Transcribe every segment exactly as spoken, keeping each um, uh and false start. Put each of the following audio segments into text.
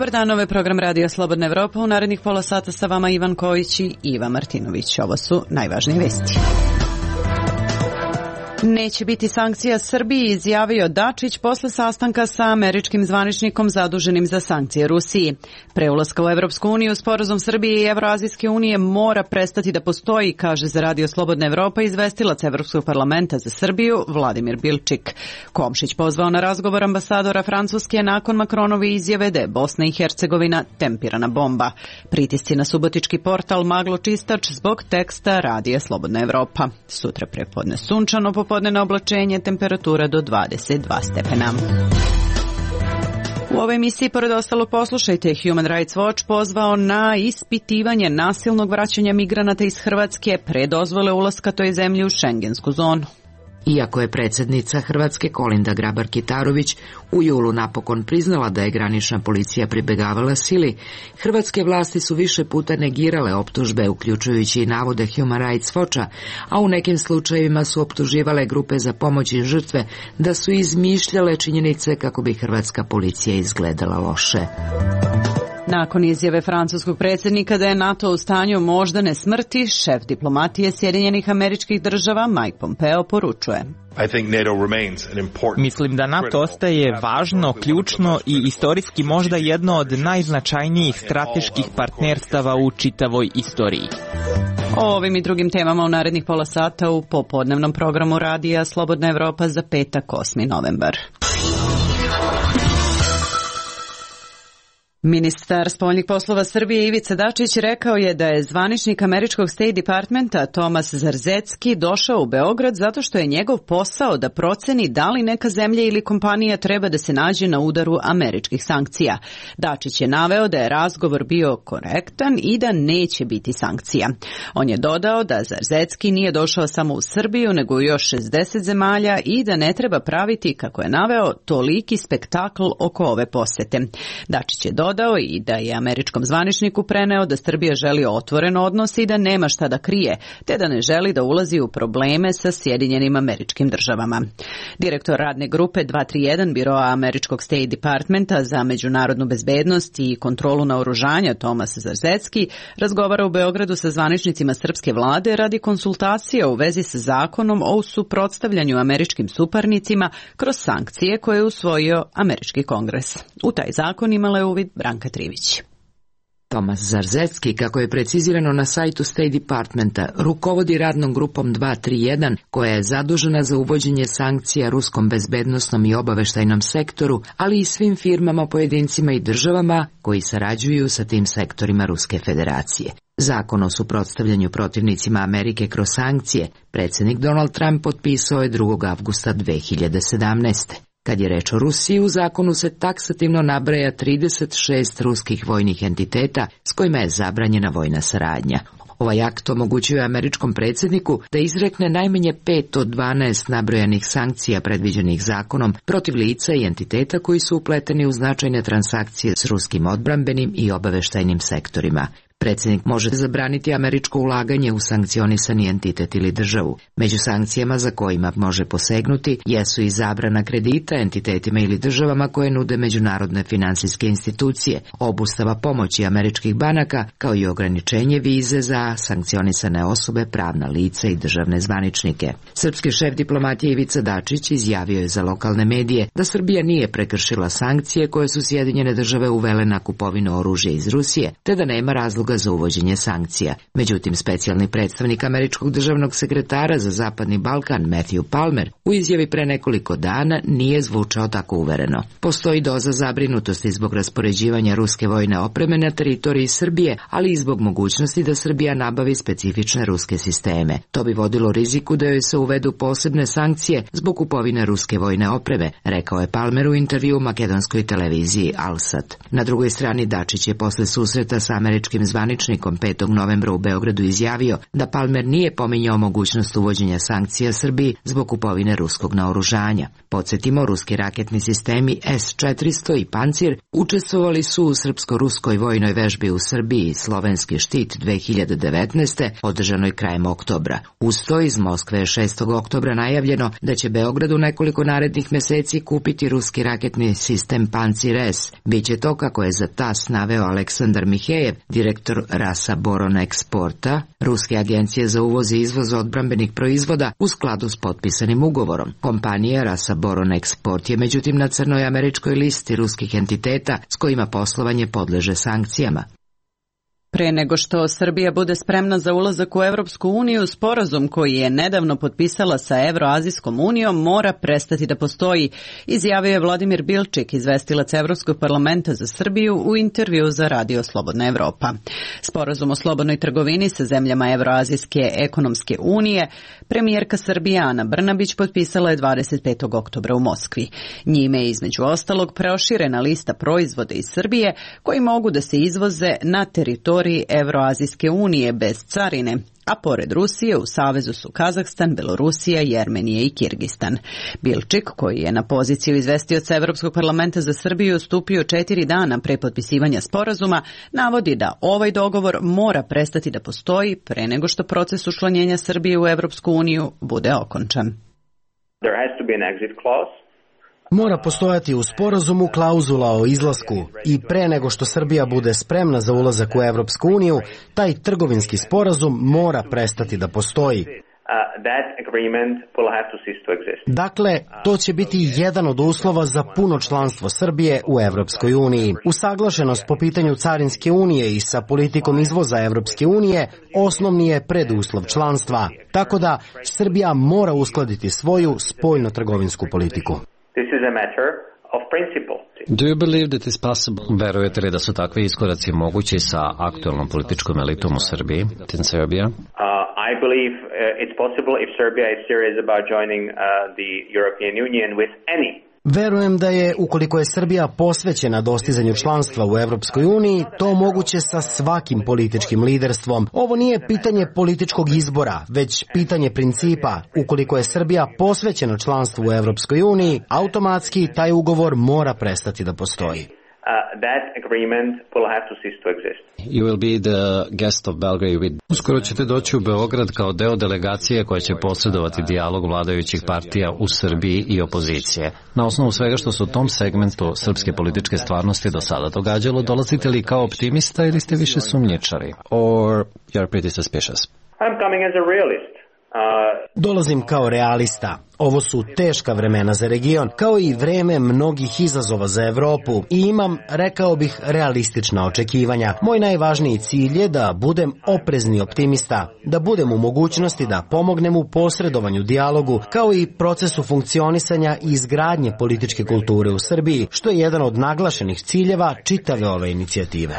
Dobar dan, ovo je program Radija Slobodna Evropa. U narednih pola sata sa vama Ivan Kojić i Iva Martinović. Ovo su najvažnije vesti. Neće biti sankcija Srbiji, izjavio Dačić posle sastanka sa američkim zvaničnikom zaduženim za sankcije Rusiji. Pre ulaska u Evropsku uniju, sporazum Srbije i Evroazijske unije mora prestati da postoji, kaže za Radio Slobodna Evropa izvestilac Evropskog parlamenta za Srbiju Vladimir Bilčik. Komšić pozvao na razgovor ambasadora Francuske nakon Makronove izjave da je Bosna i Hercegovina tempirana bomba. Pritisci na subotički portal Maglo Čistač zbog teksta Radija Slobodna Evropa. Sutra prepodne sunčano, popodne oblačenje, temperatura do dvadeset dva stepena. U ovoj emisiji, pored ostalog, poslušajte, Human Rights Watch pozvao na ispitivanje nasilnog vraćanja migranata iz Hrvatske pre dozvole ulaska toj zemlji u šengensku zonu. Iako je predsjednica Hrvatske Kolinda Grabar-Kitarović u julu napokon priznala da je granična policija pribegavala sili, hrvatske vlasti su više puta negirale optužbe, uključujući i navode Human Rights Watcha, a u nekim slučajevima su optuživale grupe za pomoć i žrtve da su izmišljale činjenice kako bi hrvatska policija izgledala loše. Nakon izjave francuskog predsjednika da je NATO u stanju moždane smrti, šef diplomatije Sjedinjenih Američkih Država Mike Pompeo poručuje: Mislim da NATO ostaje važno, ključno i istorijski možda jedno od najznačajnijih strateških partnerstava u čitavoj istoriji. O ovim i drugim temama u narednih pola sata u popodnevnom programu Radija Slobodna Evropa za petak, osmi novembar. Ministar spoljnih poslova Srbije Ivica Dačić rekao je da je zvaničnik američkog State Departmenta Tomas Zarzecki došao u Beograd zato što je njegov posao da proceni da li neka zemlja ili kompanija treba da se nađe na udaru američkih sankcija. Dačić je naveo da je razgovor bio korektan i da neće biti sankcija. On je dodao da Zarzecki nije došao samo u Srbiju nego u još šezdeset zemalja i da ne treba praviti, kako je naveo, toliki spektakl oko ove posete. Dačić je dodao Dodao i da je američkom zvaničniku preneo da Srbija želi otvoren odnos i da nema šta da krije, te da ne želi da ulazi u probleme sa Sjedinjenim Američkim Državama. Direktor radne grupe dva tri jedan biroa američkog State Departmenta za međunarodnu bezbednost i kontrolu naoružanja Tomas Zarzecki razgovara u Beogradu sa zvaničnicima srpske vlade radi konsultacija u vezi sa zakonom o suprotstavljanju američkim suparnicima kroz sankcije koje je usvojio američki kongres. U taj zakon imala je uvid Branka Trivić. Tomas Zarzecki, kako je precizirano na sajtu State Departmenta, rukovodi radnom grupom dva tri jedan, koja je zadužena za uvođenje sankcija ruskom bezbednosnom i obaveštajnom sektoru, ali i svim firmama, pojedincima i državama koji sarađuju sa tim sektorima Ruske federacije. Zakon o suprotstavljanju protivnicima Amerike kroz sankcije predsjednik Donald Trump potpisao je drugog avgusta dve hiljade sedamnaeste. Kad je reč o Rusiji, u zakonu se taksativno nabraja trideset šest ruskih vojnih entiteta s kojima je zabranjena vojna saradnja. Ovaj akt omogućuje američkom predsjedniku da izrekne najmanje pet od dvanaest nabrojanih sankcija predviđenih zakonom protiv lica i entiteta koji su upleteni u značajne transakcije s ruskim odbrambenim i obaveštajnim sektorima. Predsjednik može zabraniti američko ulaganje u sankcionisani entitet ili državu. Među sankcijama za kojima može posegnuti jesu i zabrana kredita entitetima ili državama koje nude međunarodne finansijske institucije, obustava pomoći američkih banaka, kao i ograničenje vize za sankcionisane osobe, pravna lica i državne zvaničnike. Srpski šef diplomatije Ivica Dačić izjavio je za lokalne medije da Srbija nije prekršila sankcije koje su Sjedinjene Države uvele na kupovinu oružja iz Rusije, te da nema razloga za uvođenje sankcija. Međutim, specijalni predstavnik američkog državnog sekretara za Zapadni Balkan Matthew Palmer u izjavi pre nekoliko dana nije zvučao tako uvereno. Postoji doza zabrinutosti zbog raspoređivanja ruske vojne opreme na teritoriji Srbije, ali i zbog mogućnosti da Srbija nabavi specifične ruske sisteme. To bi vodilo riziku da joj se uvedu posebne sankcije zbog kupovine ruske vojne opreme, rekao je Palmer u intervju makedonskoj televiziji Alsat. Na drugoj strani Dačić je posle susreta sa američkim zvaničnikom zvaničnikom petog novembra u Beogradu izjavio da Palmer nije pominjao mogućnost uvođenja sankcija Srbiji zbog kupovine ruskog naoružanja. Podsjetimo, ruski raketni sistemi S četiristo i Pancir učestvovali su u srpsko-ruskoj vojnoj vežbi u Srbiji Slovenski štit dve hiljade devetnaeste. održanoj krajem oktobra. Uz to iz Moskve je šestog oktobra najavljeno da će Beograd u nekoliko narednih meseci kupiti ruski raketni sistem Pancir S. Biće to, kako je za tas naveo Aleksandar Mihejev, direktor Rasa Boron Eksporta, ruske agencije za uvoz i izvoz odbrambenih proizvoda, u skladu s potpisanim ugovorom. Kompanija Rasa Boron Export je međutim na crnoj američkoj listi ruskih entiteta s kojima poslovanje podleže sankcijama. Pre nego što Srbija bude spremna za ulazak u Evropsku uniju, sporazum koji je nedavno potpisala sa Evroazijskom unijom mora prestati da postoji, izjavio je Vladimir Bilčik, izvestilac Evropskog parlamenta za Srbiju, u intervju za Radio Slobodna Evropa. Sporazum o slobodnoj trgovini sa zemljama Evroazijske ekonomske unije premijerka Srbije Ana Brnabić potpisala je dvadeset petog oktobra u Moskvi. Njime je između ostalog proširena lista proizvoda iz Srbije koji mogu da se izvoze na teritoriju Evroazijske unije bez carine, a pored Rusije u savezu su Kazahstan, Belorusija, Jermenija i Kirgistan. Bilčik, koji je na poziciju izvestioca Evropskog parlamenta za Srbiju stupio četiri dana pre potpisivanja sporazuma, navodi da ovaj dogovor mora prestati da postoji pre nego što proces učlanjenja Srbije u Evropsku uniju bude okončan. There has to be an exit clause. Mora postojati u sporazumu klauzula o izlasku i pre nego što Srbija bude spremna za ulazak u Evropsku uniju, taj trgovinski sporazum mora prestati da postoji. Dakle, to će biti jedan od uslova za puno članstvo Srbije u Evropskoj uniji. Usaglašenost po pitanju carinske unije i sa politikom izvoza Evropske unije osnovni je preduslov članstva. Tako da Srbija mora uskladiti svoju spoljno-trgovinsku politiku. This is a matter of principle. Do you believe that is possible? Verujete li da su takvi iskoraci mogući sa aktualnom političkom elitom u Srbiji, in Serbia? Uh, I believe uh, it's possible if Serbia is serious about joining uh, the European Union with any. Verujem da je, ukoliko je Srbija posvećena dostizanju članstva u Evropskoj uniji, to moguće sa svakim političkim liderstvom. Ovo nije pitanje političkog izbora, već pitanje principa. Ukoliko je Srbija posvećena članstvu u Evropskoj uniji, automatski taj ugovor mora prestati da postoji. Uh, that agreement will have to cease to exist. You will be the guest of Belgrade with... Uskoro ćete doći u Beograd kao deo delegacije koja će posredovati dijalog vladajućih partija u Srbiji i opozicije. Na osnovu svega što se u tom segmentu srpske političke stvarnosti do sada događalo, dolazite li kao optimista ili ste više sumnjičari? Or you're pretty suspicious? I'm coming as a realist. Uh... Dolazim kao realista. Ovo su teška vremena za region, kao i vreme mnogih izazova za Evropu i imam, rekao bih, realistična očekivanja. Moj najvažniji cilj je da budem oprezni optimista, da budem u mogućnosti da pomognem u posredovanju dijalogu, kao i procesu funkcionisanja i izgradnje političke kulture u Srbiji, što je jedan od naglašenih ciljeva čitave ove inicijative.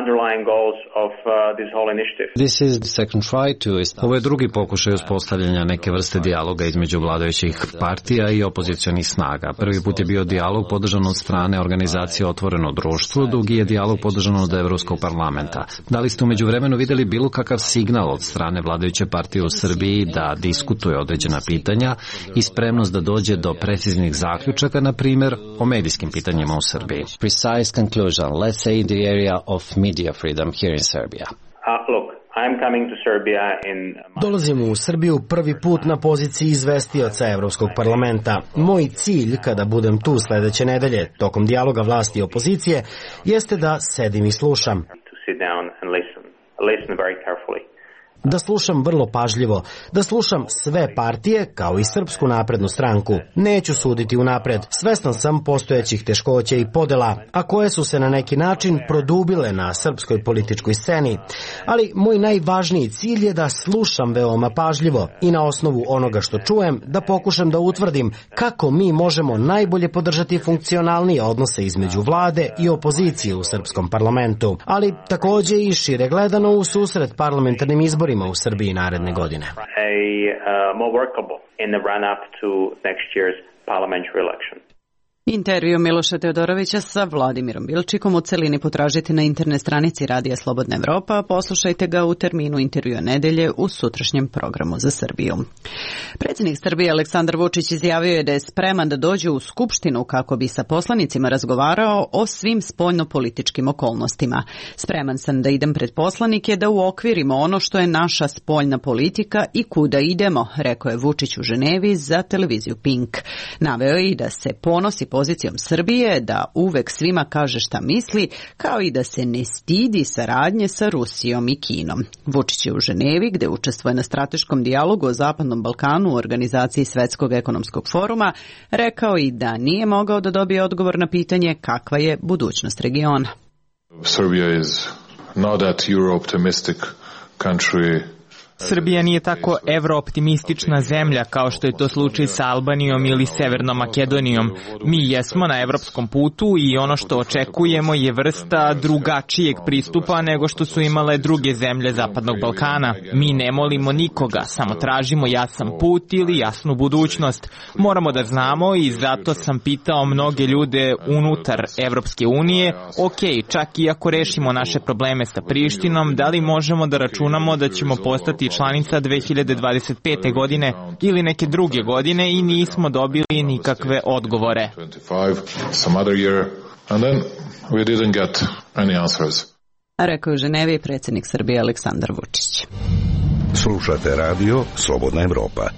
Underlying goals of uh, this whole initiative. This is the second try to... Ovo je drugi pokušaj uspostavljanja neke vrste dijaloga između vladajućih partija i opozicionih snaga. Prvi put je bio dijalog podržan od strane organizacije Otvoreno društvo, drugi je dijalog podržan od Evropskog parlamenta. Da li ste umeđu vremenu videli bilo kakav signal od strane vladajuće partije u Srbiji da diskutuje određena pitanja i spremnost da dođe do preciznih zaključaka, na primjer, o medijskim pitanjima u Srbiji? Precise conclusion, let's say in the area of media freedom here in Serbia. Uh, look, I'm coming to Serbia in... Dolazim u Srbiju prvi put na poziciji izvestioca Evropskog parlamenta. Moj cilj, kada budem tu sledeće nedelje, tokom dijaloga vlasti i opozicije, jeste da sedim i slušam. To sit down and listen. Listen very carefully. Da slušam vrlo pažljivo, da slušam sve partije, kao i Srpsku naprednu stranku. Neću suditi unapred, svestan sam postojećih teškoća i podela, a koje su se na neki način produbile na srpskoj političkoj sceni. Ali moj najvažniji cilj je da slušam veoma pažljivo i na osnovu onoga što čujem da pokušam da utvrdim kako mi možemo najbolje podržati funkcionalnije odnose između vlade i opozicije u srpskom parlamentu, ali takođe i šire gledano u susret parlamentarnim izborima u Srbiji naredne godine. A, uh, more workable in the run-up to next year's parliamentary election. Intervju Miloša Teodorovića sa Vladimirom Bilčikom u celini potražite na internet stranici Radija Slobodna Evropa, a poslušajte ga u terminu intervjua nedelje u sutrašnjem programu za Srbiju. Predsjednik Srbije Aleksandar Vučić izjavio je da je spreman da dođe u Skupštinu kako bi sa poslanicima razgovarao o svim spoljnopolitičkim okolnostima. Spreman sam da idem pred poslanike da uokvirimo ono što je naša spoljna politika i kuda idemo, rekao je Vučić u Ženevi za televiziju Pink. Naveo je i da se ponosi pozicijom Srbije, da uvek svima kaže šta misli, kao i da se ne stidi saradnje sa Rusijom i Kinom. Vučić je u Ženevi, gde učestvuje na strateškom dijalogu o Zapadnom Balkanu u organizaciji Svetskog ekonomskog foruma, rekao i da nije mogao da dobije odgovor na pitanje kakva je budućnost regiona. Serbia is not that Euro-optimistic country. Srbija nije tako evrooptimistična zemlja kao što je to slučaj sa Albanijom ili Severnom Makedonijom. Mi jesmo na evropskom putu i ono što očekujemo je vrsta drugačijeg pristupa nego što su imale druge zemlje Zapadnog Balkana. Mi ne molimo nikoga, samo tražimo jasan put ili jasnu budućnost. Moramo da znamo i zato sam pitao mnoge ljude unutar Evropske unije, ok, čak i ako rešimo naše probleme sa Prištinom, da li možemo da računamo da ćemo postati članica dve hiljade dvadeset pete. godine ili neke druge godine i nismo dobili nikakve odgovore. Rekao je u Ženevi predsjednik Srbije Aleksandar Vučić. Slušate radio Slobodna Evropa.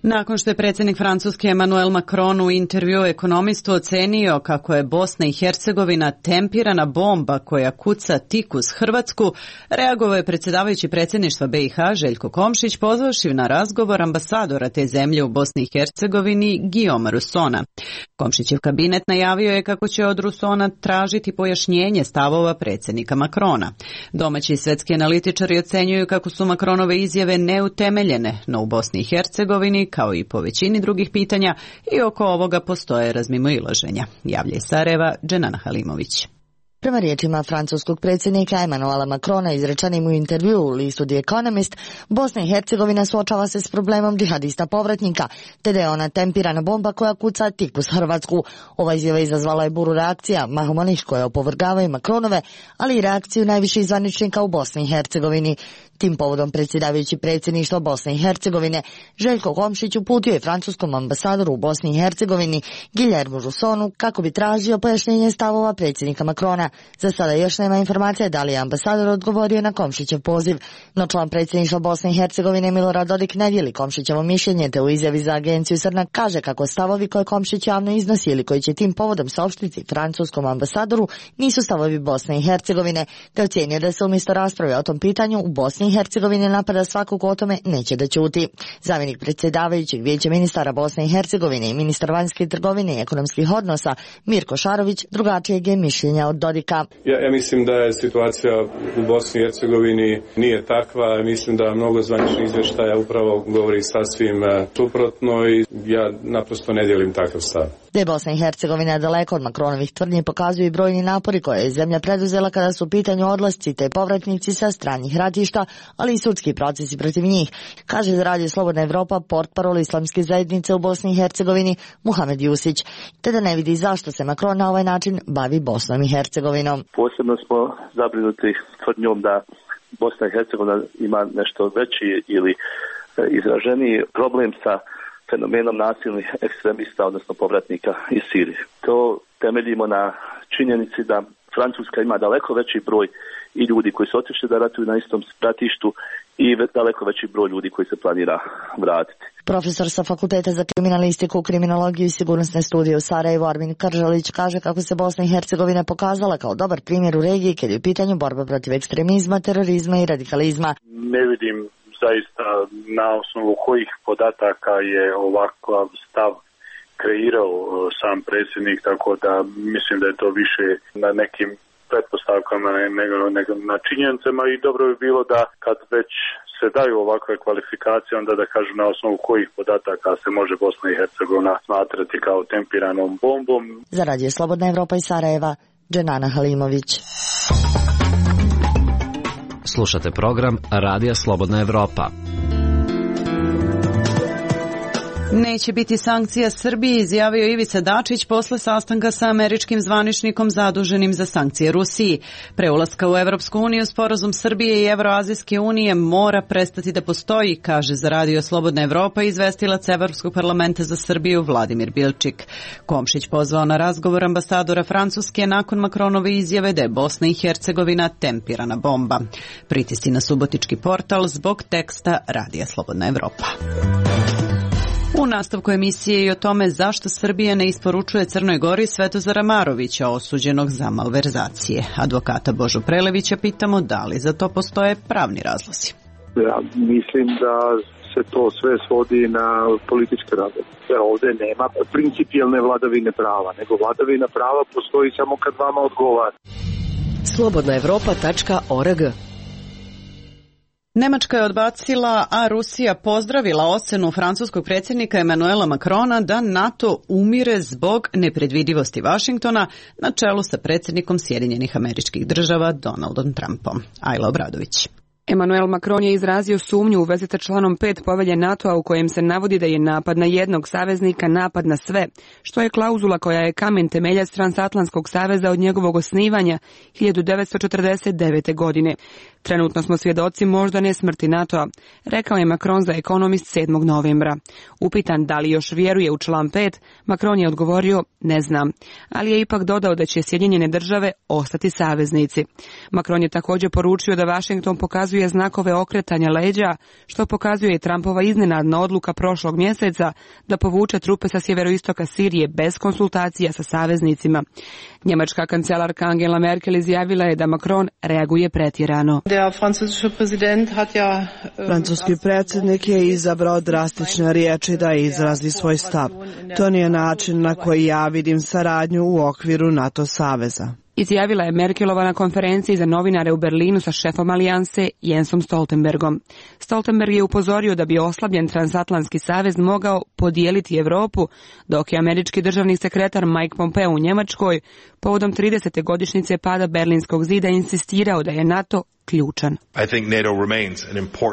Nakon što je predsjednik Francuske Emmanuel Macron u intervju ekonomistu ocenio kako je Bosna i Hercegovina tempirana bomba koja kuca tik uz Hrvatsku, reagovao je predsjedavajući predsjedništva B i H Željko Komšić pozvavši na razgovor ambasadora te zemlje u Bosni i Hercegovini Guillauma Russona. Komšićev kabinet najavio je kako će od Russona tražiti pojašnjenje stavova predsjednika Macrona. Domaći i svetski analitičari ocenjuju kako su Macronove izjave neutemeljene, no u Bosni i Hercegovini kao i po većini drugih pitanja i oko ovoga postoje razmimoilaženja. Javlja iz Sarajeva Dženana Halimović. Prema riječima francuskog predsjednika Emmanuela Macrona izrečenim u intervju u listu The Economist, Bosna i Hercegovina suočava se s problemom džihadista povratnika, te da je ona tempirana bomba koja kuca tik uz Hrvatsku. Ova izjava izazvala je buru reakcija mahom onih koje opovrgavaju Macronove, ali i reakciju najviših zvaničnika u Bosni i Hercegovini. Tim povodom predsjedavajući predsjedništva Bosne i Hercegovine Željko Komšić uputio je francuskom ambasadoru u Bosni i Hercegovini Guillermu Russonu kako bi tražio pojašnjenje stavova predsjednika Macrona. Za sada još nema informacija da li je ambasador odgovorio na Komšićev poziv, no član predsjedništva Bosne i Hercegovine Milorad Dodik ne dijeli Komšićevo mišljenje, te u izjavi za agenciju Srnak kaže kako stavovi koje Komšić javno iznosi ili koji će tim povodom saopštiti francuskom ambasadoru nisu stavovi Bosne i Hercegovine, te ocjenio da se umjesto rasprave o tom pitanju u Bosni i Hercegovine napada svakog o tome neće da ćuti. Zamjenik predsjedavajućeg vijeća ministara Bosne i Hercegovine i ministar vanjske trgovine i ekonomskih odnosa Mirko Šarović drugačijeg je mišljenja od Dodika. Ja, ja mislim da je situacija u Bosni i Hercegovini nije takva. Mislim da mnogo zvaničnih izvještaja upravo govori sasvim suprotno i ja naprosto ne dijelim takav stav. Da je Bosna i Hercegovina daleko od Macronovih tvrdnji pokazuju i brojni napori koje je zemlja preduzela kada su u pitanju odlasci te povratnici sa stranih ratišta, ali i sudski procesi protiv njih, kaže za Radio Slobodna Evropa portparol islamske zajednice u Bosni i Hercegovini Muhamed Jusić, te da ne vidi zašto se Macron na ovaj način bavi Bosnom i Hercegovinom. Posebno smo zabrinuti tvrdnjom da Bosna i Hercegovina ima nešto veći ili izraženiji problem sa fenomenom nasilnih ekstremista, odnosno povratnika iz Sirije. To temeljimo na činjenici da Francuska ima daleko veći broj i ljudi koji su otišli da ratuju na istom ratištu i daleko veći broj ljudi koji se planira vratiti. Profesor sa Fakulteta za kriminalistiku, kriminologiju i sigurnosne studije u Sarajevu Armin Kržalić kaže kako se Bosna i Hercegovina pokazala kao dobar primjer u regiji kad je u pitanju borba protiv ekstremizma, terorizma i radikalizma. Ne vidim zaista na osnovu kojih podataka je ovakav stav kreirao sam predsjednik, tako da mislim da je to više na nekim pretpostavkama nego, nego na činjenicama i dobro bi bilo da kad već se daju ovakve kvalifikacije, onda da kažu na osnovu kojih podataka se može Bosna i Hercegovina smatrati kao tempiranom bombom. Za Radio Slobodna Evropa iz Sarajeva, Dženana Halimović. Slušate program Radija Slobodna Evropa. Neće biti sankcija Srbiji, izjavio Ivica Dačić posle sastanka sa američkim zvaničnikom zaduženim za sankcije Rusiji. Pre ulaska u Evropsku uniju sporazum Srbije i Evroazijske unije mora prestati da postoji, kaže za Radio Slobodna Evropa izvestilac Evropskog parlamenta za Srbiju Vladimir Bilčik. Komšić pozvao na razgovor ambasadora Francuske nakon Makronove izjave da je Bosna i Hercegovina tempirana bomba. Pritisci na subotički portal zbog teksta Radija Slobodna Evropa. U nastavku emisije i o tome zašto Srbija ne isporučuje Crnoj Gori Svetozara Marovića, osuđenog za malverzacije. Advokata Božu Prelevića pitamo da li za to postoje pravni razlozi. Ja mislim da se to sve svodi na političke razloge. Ovdje nema principijelne vladavine prava, nego vladavina prava postoji samo kad vama odgovara. slobodna evropa tačka org. Nemačka je odbacila, a Rusija pozdravila ocenu francuskog predsjednika Emanuela Macrona da NATO umire zbog nepredvidivosti Vašingtona na čelu sa predsjednikom Sjedinjenih Američkih Država Donaldom Trumpom. Ajla Obradović. Emmanuel Macron je izrazio sumnju u vezi sa članom pet povelje NATO-a u kojem se navodi da je napad na jednog saveznika napad na sve, što je klauzula koja je kamen temeljac Transatlantskog saveza od njegovog osnivanja hiljadu devetsto četrdeset devete. godine. Trenutno smo svjedoci možda ne smrti NATO-a, rekao je Macron za Economist sedmog novembra. Upitan da li još vjeruje u član pet, Macron je odgovorio ne znam, ali je ipak dodao da će Sjedinjene države ostati saveznici. Macron je također poručio da Washington pokazuje znakove okretanja leđa, što pokazuje i Trumpova iznenadna odluka prošlog mjeseca da povuče trupe sa sjeveroistoka Sirije bez konsultacija sa saveznicima. Njemačka kancelarka Angela Merkel izjavila je da Macron reaguje pretjerano. Francuski predsjednik je izabrao drastične riječi da izrazi svoj stav. To nije način na koji ja vidim saradnju u okviru NATO saveza. Izjavila je Merkelova na konferenciji za novinare u Berlinu sa šefom alijanse Jensom Stoltenbergom. Stoltenberg je upozorio da bi oslabljen transatlantski savez mogao podijeliti Europu, dok je američki državni sekretar Mike Pompeo u Njemačkoj povodom tridesete godišnjice pada Berlinskog zida insistirao da je NATO ključan.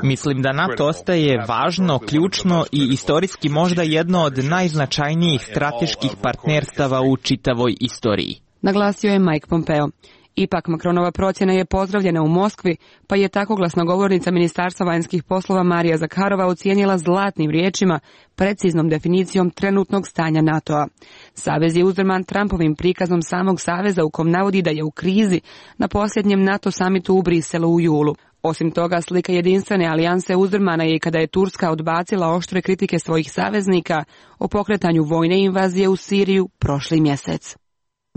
Mislim da NATO ostaje važno, ključno i istorijski možda jedno od najznačajnijih strateških partnerstava u čitavoj istoriji, naglasio je Mike Pompeo. Ipak Macronova procjena je pozdravljena u Moskvi, pa je tako glasnogovornica Ministarstva vanjskih poslova Marija Zakharova ocijenila zlatnim riječima, preciznom definicijom trenutnog stanja NATO-a. Savez je uzdrman Trumpovim prikazom samog saveza u kom navodi da je u krizi na posljednjem NATO samitu u Briselu u julu. Osim toga, slika jedinstvene alijanse uzdrmana je i kada je Turska odbacila oštre kritike svojih saveznika o pokretanju vojne invazije u Siriju prošli mjesec.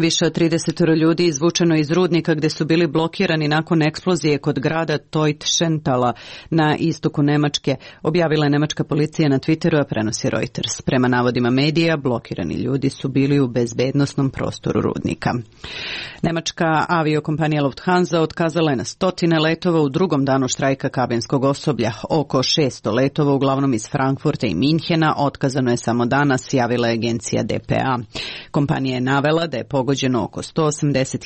Više od trideset ljudi izvučeno iz rudnika gdje su bili blokirani nakon eksplozije kod grada Teutschentala na istoku Nemačke, objavila je nemačka policija na Twitteru, a prenosi Reuters. Prema navodima medija, blokirani ljudi su bili u bezbednosnom prostoru rudnika. Nemačka aviokompanija Lufthansa otkazala je na stotine letova u drugom danu štrajka kabinskog osoblja. Oko šesto letova, uglavnom iz Frankfurta i Minhena, otkazano je samo danas, javila je agencija D P A. Kompanija je navela da je pogođeno oko sto osamdeset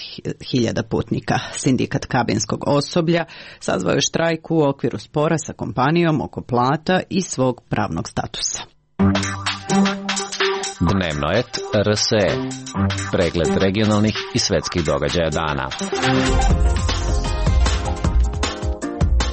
hiljada putnika. Sindikat kabinskog osoblja sazvao je štrajk u okviru spora sa kompanijom oko plata i svog pravnog statusa. Dnevnoet R S E. Pregled regionalnih i svetskih događaja dana.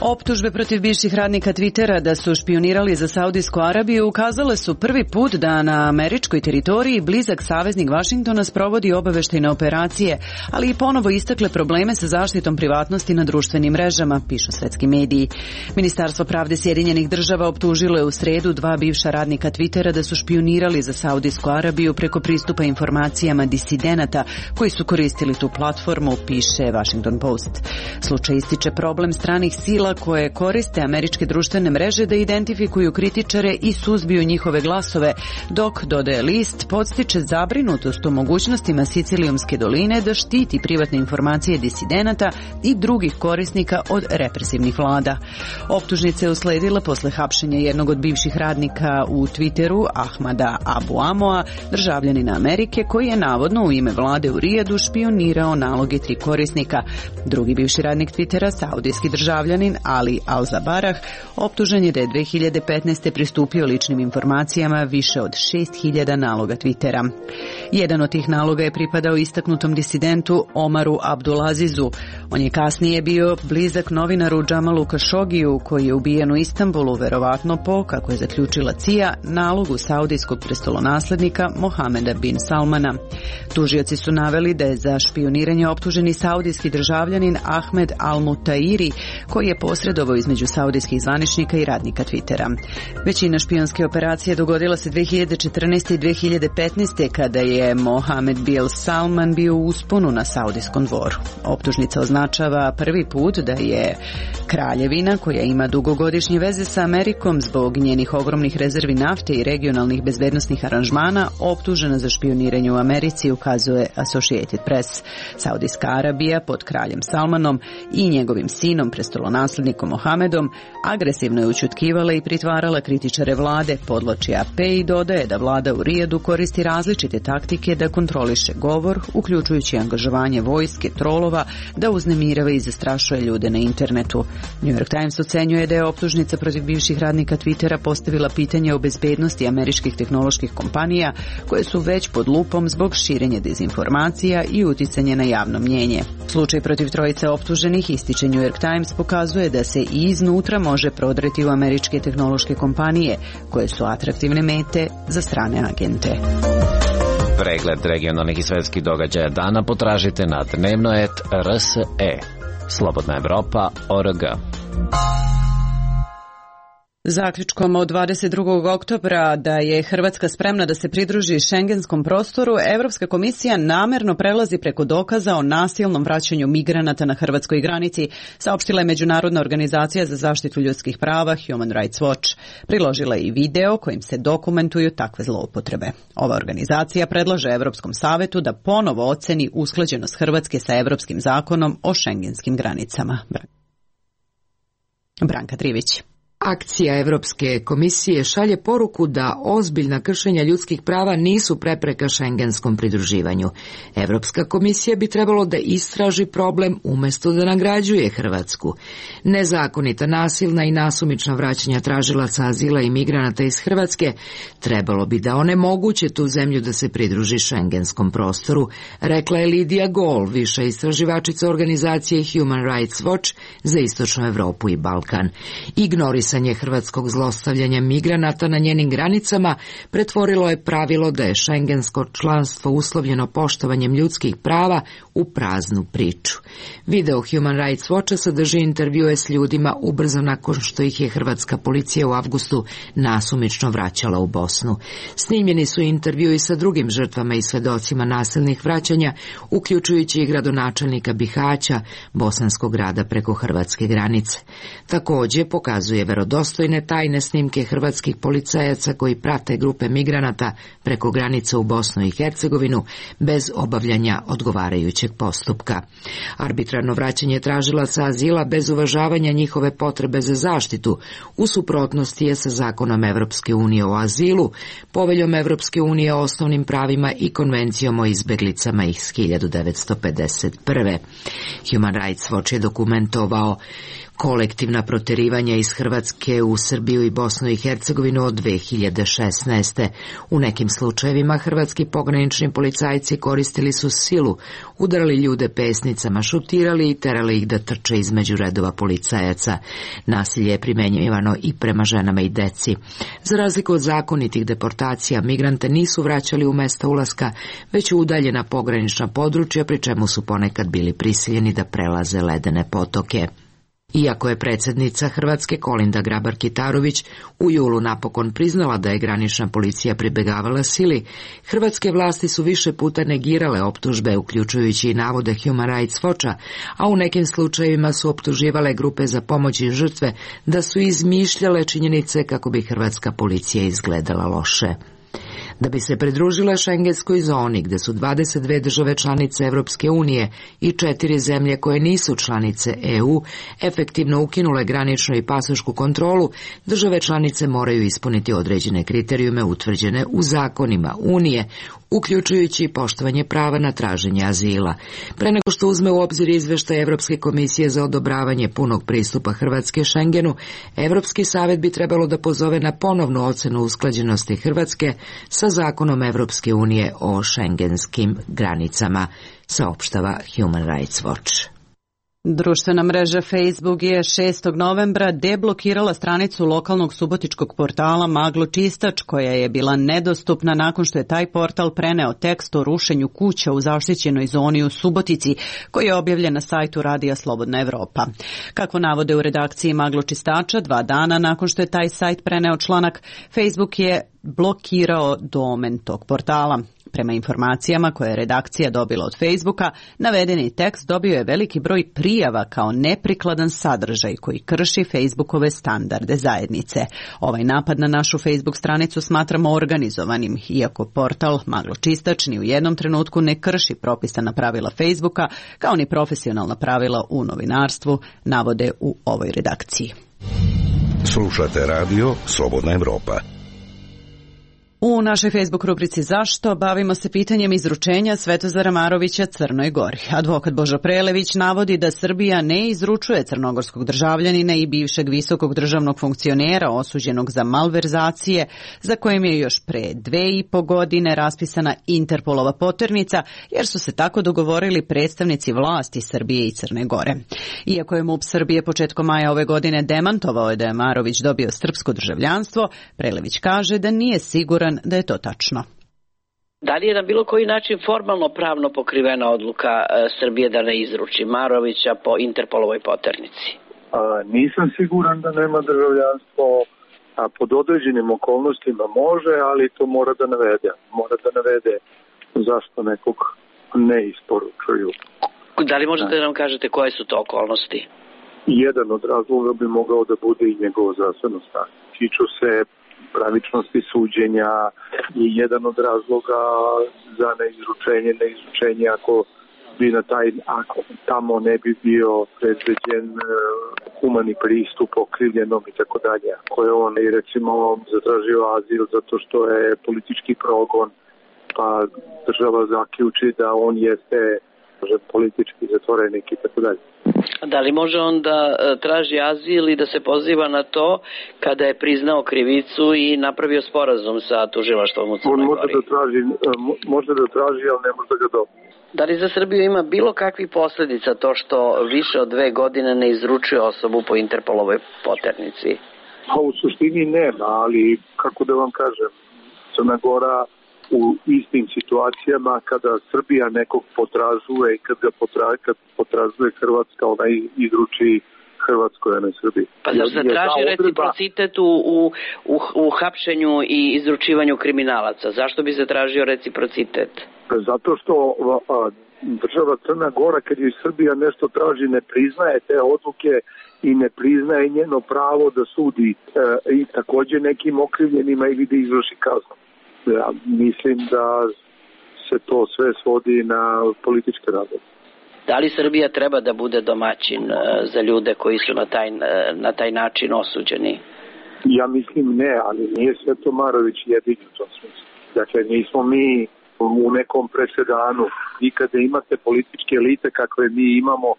Optužbe protiv bivših radnika Twittera da su špionirali za Saudijsku Arabiju ukazale su prvi put da na američkoj teritoriji blizak saveznik Vašingtona sprovodi obaveštajne operacije, ali i ponovo istakle probleme sa zaštitom privatnosti na društvenim mrežama, pišu svetski mediji. Ministarstvo pravde Sjedinjenih država optužilo je u sredu dva bivša radnika Twittera da su špionirali za Saudijsku Arabiju preko pristupa informacijama disidenata koji su koristili tu platformu, piše Washington Post. Slučaj ističe problem stranih sila koje koriste američke društvene mreže da identifikuju kritičare i suzbiju njihove glasove, dok, dodaje list, podstiče zabrinutost o mogućnostima Sicilijumske doline da štiti privatne informacije disidenata i drugih korisnika od represivnih vlada. Optužnica je usledila posle hapšenja jednog od bivših radnika u Twitteru, Ahmada Abu Amoa, državljanina Amerike, koji je navodno u ime vlade u Rijadu špionirao naloge tri korisnika. Drugi bivši radnik Twittera, saudijski državljanin Ali Al-Zabarah optužen je da je dve hiljade petnaeste. pristupio ličnim informacijama više od šest hiljada naloga Twittera. Jedan od tih naloga je pripadao istaknutom disidentu Omaru Abdulazizu. On je kasnije bio blizak novinaru Džamalu Kašogiju, koji je ubijen u Istanbulu, verovatno po, kako je zaključila C I A, nalogu saudijskog prestolonaslednika Mohameda bin Salmana. Tužioci su naveli da je za špioniranje optuženi saudijski državljanin Ahmed Al-Mutairi, koji je posredovao između saudijskih zvaničnika i radnika Twittera. Većina špionske operacije dogodila se dve hiljade četrnaeste. i dve hiljade petnaeste. kada je Mohamed bin Salman bio u usponu na saudijskom dvoru. Optužnica označava prvi put da je kraljevina, koja ima dugogodišnje veze sa Amerikom zbog njenih ogromnih rezervi nafte i regionalnih bezbednosnih aranžmana, optužena za špioniranje u Americi, ukazuje Associated Press. Saudijska Arabija pod kraljem Salmanom i njegovim sinom, prestolonaslednikom Mohamedom, agresivno je ućutkivala i pritvarala kritičare vlade, podvlači A P i dodaje da vlada u Rijadu koristi različite taktike da kontroliše govor, uključujući angažovanje vojske, trolova, da uznemirava i zastrašuje ljude na internetu. New York Times ocenjuje da je optužnica protiv bivših radnika Twittera postavila pitanje o bezbednosti američkih tehnoloških kompanija, koje su već pod lupom zbog širenja dezinformacija i uticanja na javno mnjenje. Slučaj protiv trojice optuženih, ističe New York Times, pokazuje da se i iznutra može prodreti u američke tehnološke kompanije, koje su atraktivne mete za strane agente. Pregled regionalnih i svetskih događaja dana potražite na dnevno et R S E. Slobodna Evropa, O R G. Zaključkom od dvadeset drugog oktobra da je Hrvatska spremna da se pridruži šengenskom prostoru, Evropska komisija namerno prelazi preko dokaza o nasilnom vraćanju migranata na hrvatskoj granici, saopštila je Međunarodna organizacija za zaštitu ljudskih prava Human Rights Watch. Priložila je i video kojim se dokumentuju takve zloupotrebe. Ova organizacija predlaže Evropskom savetu da ponovo oceni usklađenost Hrvatske sa Evropskim zakonom o šengenskim granicama. Branka Trivić. Akcija Evropske komisije šalje poruku da ozbiljna kršenja ljudskih prava nisu prepreka šengenskom pridruživanju. Evropska komisija bi trebalo da istraži problem umjesto da nagrađuje Hrvatsku. Nezakonita, nasilna i nasumična vraćanja tražilaca azila i migranata iz Hrvatske trebalo bi da onemoguće tu zemlju da se pridruži šengenskom prostoru, rekla je Lidija Gol, viša istraživačica organizacije Human Rights Watch za Istočnu Evropu i Balkan. Ignoris hrvatskog zlostavljanja migranata na njenim granicama pretvorilo je pravilo da je šengensko članstvo uslovljeno poštovanjem ljudskih prava u praznu priču. Video Human Rights Watcha sadrži intervjue s ljudima ubrzo nakon što ih je hrvatska policija u avgustu nasumično vraćala u Bosnu. Snimljeni su intervjui sa drugim žrtvama i svedocima nasilnih vraćanja, uključujući i gradonačelnika Bihaća, bosanskog grada preko hrvatske granice. Također pokazuje verodostojne tajne snimke hrvatskih policajaca koji prate grupe migranata preko granice u Bosnu i Hercegovinu bez obavljanja odgovarajućeg postupka. Arbitrarno vraćanje tražilaca azila bez uvažavanja njihove potrebe za zaštitu u suprotnosti je sa zakonom Evropske unije o azilu, poveljom Evropske unije o osnovnim pravima i konvencijom o izbeglicama iz hiljadu devetsto pedeset prve. Human Rights Watch je dokumentovao kolektivna proterivanja iz Hrvatske u Srbiju i Bosnu i Hercegovinu od dve hiljade šesnaeste. U nekim slučajevima hrvatski pogranični policajci koristili su silu, udarali ljude pesnicama, šutirali i terali ih da trče između redova policajaca. Nasilje je primenjivano i prema ženama i deci. Za razliku od zakonitih deportacija, migrante nisu vraćali u mesta ulaska, već u udaljena pogranična područja, pri čemu su ponekad bili prisiljeni da prelaze ledene potoke. Iako je predsjednica Hrvatske Kolinda Grabar-Kitarović u julu napokon priznala da je granična policija pribjegavala sili, hrvatske vlasti su više puta negirale optužbe, uključujući i navode Human Rights Watcha, a u nekim slučajevima su optuživale grupe za pomoć i žrtve da su izmišljale činjenice kako bi hrvatska policija izgledala loše. Da bi se pridružile šengenskoj zoni, gde su dvadeset dve države članice Evropske unije i četiri zemlje koje nisu članice E U, efektivno ukinule graničnu i pasošku kontrolu, države članice moraju ispuniti određene kriterijume utvrđene u zakonima Unije, uključujući poštovanje prava na traženje azila. Pre nego što uzme u obzir izveštaj Evropske komisije za odobravanje punog pristupa Hrvatske Šengenu, Evropski savet bi trebalo da pozove na ponovnu ocenu usklađenosti Hrvatske sa zakonom Evropske unije o šengenskim granicama, saopštava Human Rights Watch. Društvena mreža Facebook je šestog novembra deblokirala stranicu lokalnog subotičkog portala Maglo Čistač, koja je bila nedostupna nakon što je taj portal preneo tekst o rušenju kuća u zaštićenoj zoni u Subotici, koji je objavljen na sajtu Radija Slobodna Evropa. Kako navode u redakciji Maglo Čistača, dva dana nakon što je taj sajt preneo članak, Facebook je blokirao domen tog portala. Prema informacijama koje je redakcija dobila od Facebooka, navedeni tekst dobio je veliki broj prijava kao neprikladan sadržaj koji krši Facebookove standarde zajednice. Ovaj napad na našu Facebook stranicu smatramo organizovanim, iako portal Maglo Čistač ni u jednom trenutku ne krši propisana pravila Facebooka, kao ni profesionalna pravila u novinarstvu, navode u ovoj redakciji. Slušate radio Slobodna Evropa. U našoj Facebook rubrici Zašto bavimo se pitanjem izručenja Svetozara Marovića Crnoj Gori. Advokat Božo Prelević navodi da Srbija ne izručuje crnogorskog državljanina i bivšeg visokog državnog funkcionera osuđenog za malverzacije, za kojim je još pre dve i po godine raspisana Interpolova poternica, jer su se tako dogovorili predstavnici vlasti Srbije i Crne Gore. Iako je MUP Srbije početkom maja ove godine demantovao da je Marović dobio srpsko državljanstvo, Prelević kaže da nije siguran da je to tačno. Da li je na bilo koji način formalno pravno pokrivena odluka e, Srbije da ne izruči Marovića po Interpolovoj poternici? A, nisam siguran da nema državljanstvo, a pod određenim okolnostima može, ali to mora da navede. Mora da navede zašto nekog ne isporučuju. Da li možete da nam kažete koje su to okolnosti? Jedan od razloga bi mogao da bude i njegovo zdravstveno stanje. Tiču se pravičnosti suđenja i jedan od razloga za neizručenje, neizručenje ako bi na taj, ako tamo ne bi bio predviđen humani pristup okrivljenom i tako dalje. Ako je on i recimo zatražio azil zato što je politički progon, pa država zaključi da on jeste politički zatvorenik i tako dalje. Da li može on da traži azil i da se poziva na to kada je priznao krivicu i napravio sporazum sa tužilaštvom u Crnoj Gori? On može da traži, može da traži, ali ne može da ga dobije. Da li za Srbiju ima bilo kakvih posledica to što više od dve godine ne izručuje osobu po Interpolovoj poternici? Pa u suštini nema, ali kako da vam kažem, Crna Gora u istim situacijama kada Srbija nekog potražuje i kad ga potražuje, kad potražuje Hrvatska, ona izruči Hrvatskoj, a ne Srbiji. Pa zar se traži reciprocitet u, u, u, u hapšenju i izručivanju kriminalaca? Zašto bi se tražio reciprocitet? Zato što a, država Crna Gora, kad je Srbija nešto traži, ne priznaje te odluke i ne priznaje njeno pravo da sudi a, i takođe nekim okrivljenima ili da izvrši kaznu. Ja mislim da se to sve svodi na političke razloge. Da li Srbija treba da bude domaćin za ljude koji su na taj, na taj način osuđeni? Ja mislim ne, ali nije Sveto Marović jedini u tom smislu. Dakle, nismo mi u nekom presedanu. I kada imate političke elite kakve mi imamo,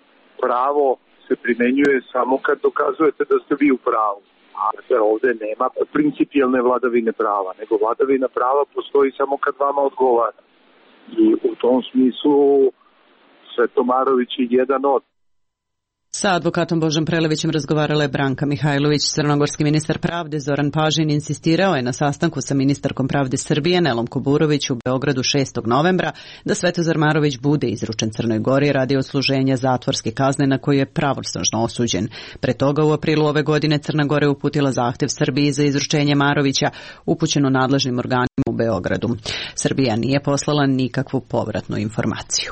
pravo se primenjuje samo kad dokazujete da ste vi u pravu. A ovde nema principijelne vladavine prava, nego vladavina prava postoji samo kad vama odgovara. I u tom smislu Sveto Marović je jedan od. Sa advokatom Božom Prelevićem razgovarala je Branka Mihajlović. Crnogorski ministar pravde Zoran Pažin insistirao je na sastanku sa ministarkom pravde Srbije Nelom Kuburović u Beogradu šestog novembra da Svetozar Marović bude izručen Crnoj Gori radi odsluženja zatvorske kazne na koju je pravosnažno osuđen. Pre toga u aprilu ove godine Crna Gora je uputila zahtev Srbiji za izručenje Marovića upućeno nadležnim organima u Beogradu. Srbija nije poslala nikakvu povratnu informaciju.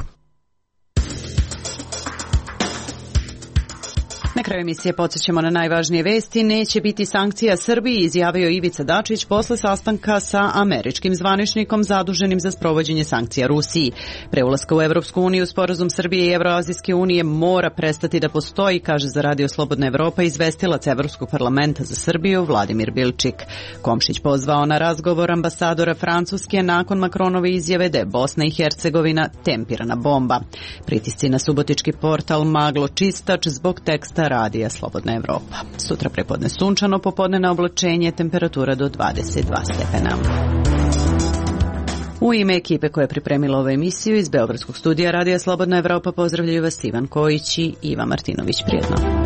Na kraju emisije podsjećamo na najvažnije vesti. Neće biti sankcija Srbiji, izjavio Ivica Dačić posle sastanka sa američkim zvaničnikom zaduženim za sprovođenje sankcija Rusiji. Pre ulaska u Evropsku uniju sporazum Srbije i Evroazijske unije mora prestati da postoji, kaže za Radio Slobodna Evropa izvestilac Evropskog parlamenta za Srbiju Vladimir Bilčik. Komšić pozvao na razgovor ambasadora Francuske nakon Makronove izjave da je Bosna i Hercegovina tempirana bomba. Pritisci na subotički portal Maglo Čistač zbog teksta Radija Slobodna Evropa. Sutra prepodne sunčano, popodne na oblačenje, temperatura do dvadeset dva stepena. U ime ekipe koja je pripremila ovu emisiju iz Beogradskog studija Radija Slobodna Evropa pozdravljaju vas Ivan Kojić i Iva Martinović. Prijetno.